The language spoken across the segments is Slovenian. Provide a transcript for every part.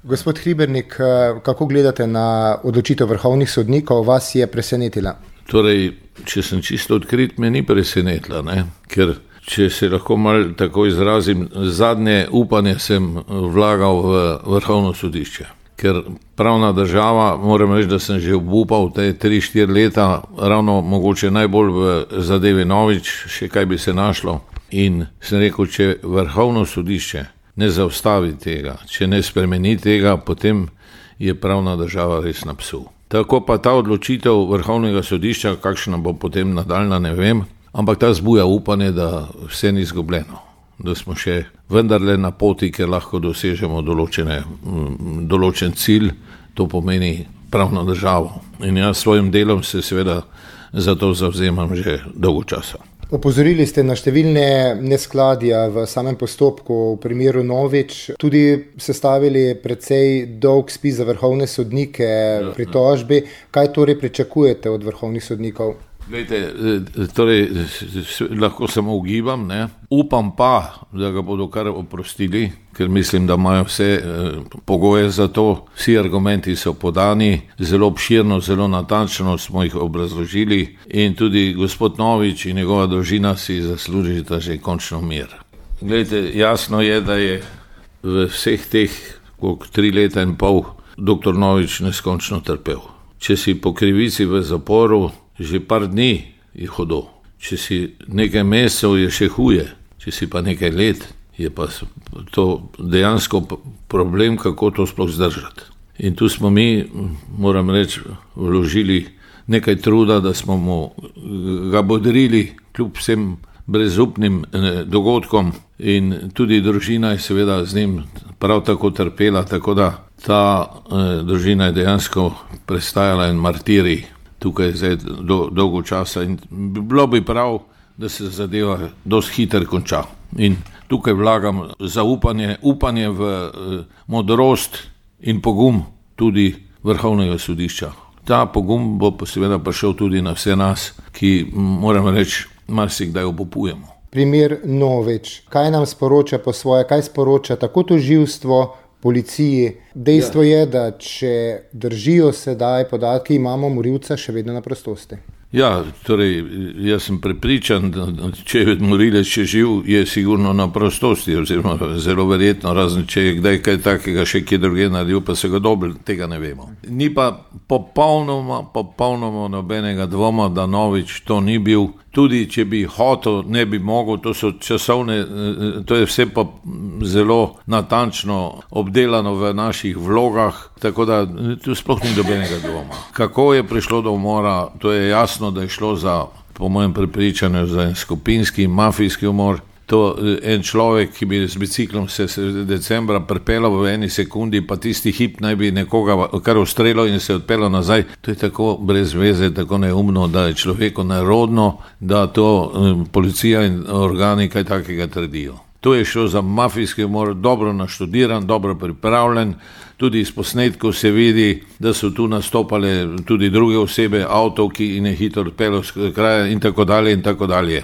Gospod Hribernik, kako gledate na odločitev vrhovnih sodnikov, vas je presenetila? Torej, če sem čisto odkrit, me ni presenetila, ker če se lahko malo tako izrazim, zadnje upanje sem vlagal v vrhovno sodišče. Ker pravna država, moram reči, da sem že obupal te 3-4 leta, ravno mogoče najbolj v zadevi Novič, še kaj bi se našlo. In sem rekel, če vrhovno sodišče ne zaustavi tega, če ne spremeni tega, potem je pravna država res na psu. Tako pa ta odločitev vrhovnega sodišča, kakšna bo potem nadaljna, ne vem, ampak ta zbuja upanje, da vse ni izgubljeno, da smo še vendarle na poti, ker lahko dosežemo določen cilj, to pomeni pravno državo. In jaz svojim delom se seveda za to zavzemam že dolgo časa. Opozorili ste na številne neskladja v samem postopku v primeru Novič, tudi sestavili precej dolg spis za vrhovne sodnike pritožbi. Kaj torej pričakujete od vrhovnih sodnikov? Glejte, torej, lahko samo ugibam, upam pa, da ga bodo kar oprostili, ker mislim, da imajo vse pogoje za to, vsi argumenti so podani, zelo obširno, zelo natančno smo jih obrazložili in tudi gospod Novič in njegova družina si zaslužita že končno mir. Glejte, jasno je, da je v vseh teh 3 leta in pol dr. Novič neskončno trpel. Če si po krivici v zaporu, že par dni je hudo. Če si nekaj mesecev, je še huje. Če si pa nekaj let, je pa to dejansko problem, kako to sploh zdržati. In tu smo mi, moram reči, vložili nekaj truda, da smo mu ga bodrili kljub vsem brezupnim dogodkom in tudi družina je seveda z njim prav tako trpela, tako da ta družina je dejansko prestajala en martirij tukaj zdaj dolgo časa in bilo bi prav, da se zadeva dosti hitro konča. In tukaj vlagam upanje v modrost in pogum tudi vrhovnega sodišča. Ta pogum bo seveda prišel tudi na vse nas, ki, moram reči, marsikdaj obupujemo. Primer Novič. Kaj nam sporoča po svoje, kaj sporoča tako tožilstvo, policiji? Dejstvo je, da če držijo sedaj podatki, imamo morilca še vedno na prostosti. Ja, torej, jaz sem prepričan, da če je morilec še živ, je sigurno na prostosti, oziroma zelo verjetno, razen če je kdaj kaj takega še kje druge naredil, pa se ga dobro, tega ne vemo. Ni pa popolnoma nobenega dvoma, da Novič to ni bil. Tudi če bi hotel, ne bi mogel, to so časovne, to je vse pa zelo natančno obdelano v naših vlogah, tako da tu sploh ni nobenega dvoma. Kako je prišlo do umora, to je jasno, da je šlo za, po mojem prepričanju, za en skupinski, mafijski umor. To en človek, ki bi z biciklom se decembra pripeljal v eni sekundi, pa tisti hip naj bi nekoga kar ustrelil in se odpeljal nazaj. To je tako brez veze, tako neumno, da je človeku nerodno, da to policija in organi kaj takega trdijo. To je šlo za mafijski umor, dobro naštudiran, dobro pripravljen, tudi iz posnetkov se vidi, da so tu nastopale tudi druge osebe, avto, ki je hitro odpeljal z kraja in tako dalje in tako dalje.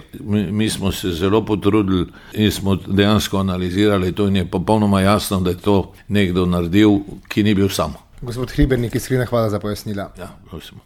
Mi smo se zelo potrudili in smo dejansko analizirali to in je popolnoma jasno, da je to nekdo naredil, ki ni bil sam. Gospod Hribernik, iskrena hvala za pojasnila. Ja, prosim.